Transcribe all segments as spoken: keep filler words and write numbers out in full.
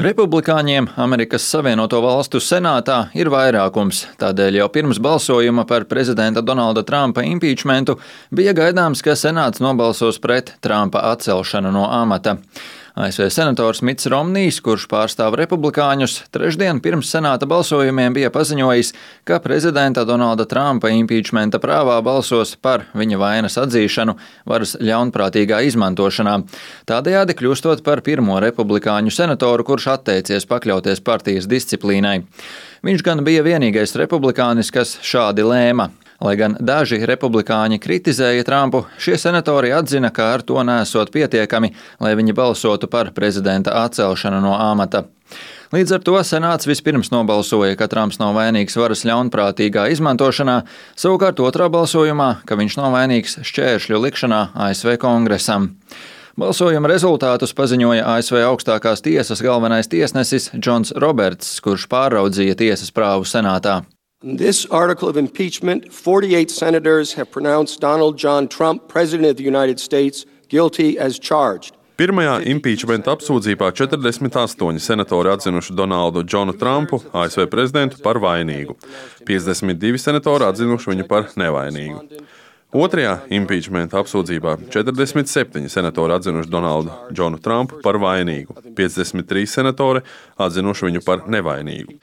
Republikāņiem Amerikas Savienoto Valstu senātā ir vairākums, tādēļ jau pirms balsojuma par prezidenta Donalda Trumpa impīčmentu bija gaidāms, ka senāts nobalsos pret Trumpa atcelšanu no amata. A S V senators Mitts Romnijs, kurš pārstāv republikāņus, trešdien pirms senāta balsojumiem bija paziņojis, ka prezidenta Donalda Trumpa impīčmenta prāvā balsos par viņa vainas atzīšanu varas ļaunprātīgā izmantošanā, tādējādi kļūstot par pirmo republikāņu senatoru, kurš atteicies pakļauties partijas disciplīnai. Viņš gan bija vienīgais republikānis, kas šādi lēma. Lai gan daži republikāņi kritizēja Trumpu, šie senatori atzina, ka ar to nesot pietiekami, lai viņi balsotu par prezidenta atcelšanu no amata. Līdz ar to senāts vispirms nobalsoja, ka Trumps nav vainīgs varas ļaunprātīgā izmantošanā, savukārt otrā balsojumā, ka viņš nav vainīgs šķēršļu likšanā A S V kongresam. Balsojuma rezultātus paziņoja A S V augstākās tiesas galvenais tiesnesis Džons Roberts, kurš pāraudzīja tiesas prāvu senātā. In this article of impeachment, forty-eight senators have pronounced Donald John Trump, President of the United States, guilty as charged. Pirmajā impīčmenta apsūdzībā četrdesmit astoņi senatori atzinuši Donaldu Džonu Trumpu, A S V prezidentu, par vainīgu. piecdesmit divi senatori atzinuši viņu par nevainīgu. Otrajā impīčmenta apsūdzībā četrdesmit septiņi senatori atzinuši Donaldu Džonu Trumpu par vainīgu, piecdesmit trīs senatori atzinuši viņu par nevainīgu.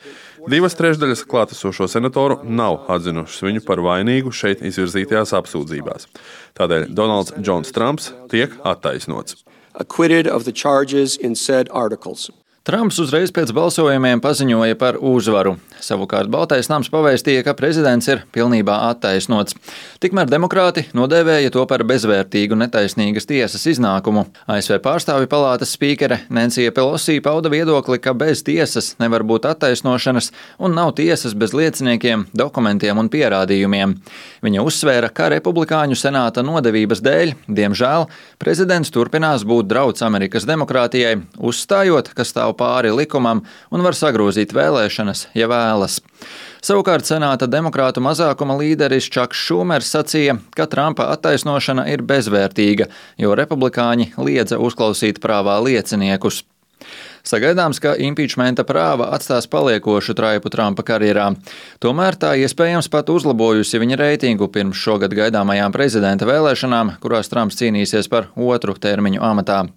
Divas trešdaļas klātesošo senatoru nav atzinušas viņu par vainīgu šeit izvirzītajās apsūdzībās. Tādēļ Donalds Džons Trumps tiek attaisnots. Acquitted of the charges in said articles. Trumps uzreiz pēc balsojumiem paziņoja par uzvaru. Savukārt Baltais nams pavēstīja, ka prezidents ir pilnībā attaisnots. Tikmēr demokrāti nodēvēja to par bezvērtīgu netaisnīgas tiesas iznākumu. A S V pārstāvju palātas spīkere Nancy Pelosi pauda viedokli, ka bez tiesas nevar būt attaisnošanas un nav tiesas bez lieciniekiem, dokumentiem un pierādījumiem. Viņa uzsvēra, ka republikāņu senāta nodevības dēļ, diemžēl, prezidents turpinās būt drauds Amerikas demokrātijai, uzstājot, ka stāv pāri likumam un var sagrozīt vēlēšanas, ja vēlas. Savukārt senāta demokrātu mazākuma līderis Čaks Šumers sacīja, ka Trumpa attaisnošana ir bezvērtīga, jo republikāņi liedza uzklausīt prāvā lieciniekus. Sagaidāms, ka impīčmenta prāva atstās paliekošu traipu Trumpa karjerā. Tomēr tā iespējams pat uzlabojusi viņa reitingu pirms šogad gaidāmajām prezidenta vēlēšanām, kurās Trumps cīnīsies par otru termiņu amatā.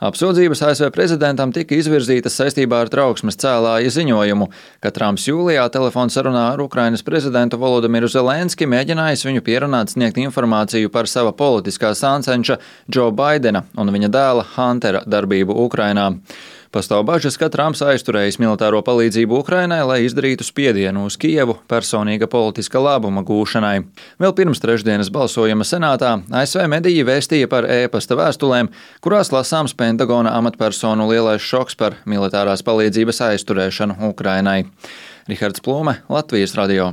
Apsūdzības A S V prezidentam tika izvirzītas saistībā ar trauksmes cēlāja ziņojumu, ka Trumps jūlijā telefonsarunā ar Ukrainas prezidentu Volodimiru Zelenski mēģinājis viņu pierunāt sniegt informāciju par sava politiskā sāncenša Džo Baidena un viņa dēla Huntera darbību Ukrainā. Pastāv bažas, ka Trumps aizturējis militāro palīdzību Ukrainai, lai izdarītu spiedienu uz Kijevu personīga politiska labuma gūšanai. Vēl pirms trešdienas balsojuma senātā A S V mediji vēstīja par e-pasta vēstulēm, kurās lasāms Pentagona amatpersonu lielais šoks par militārās palīdzības aizturēšanu Ukrainai. Rihards Plūme, Latvijas radio.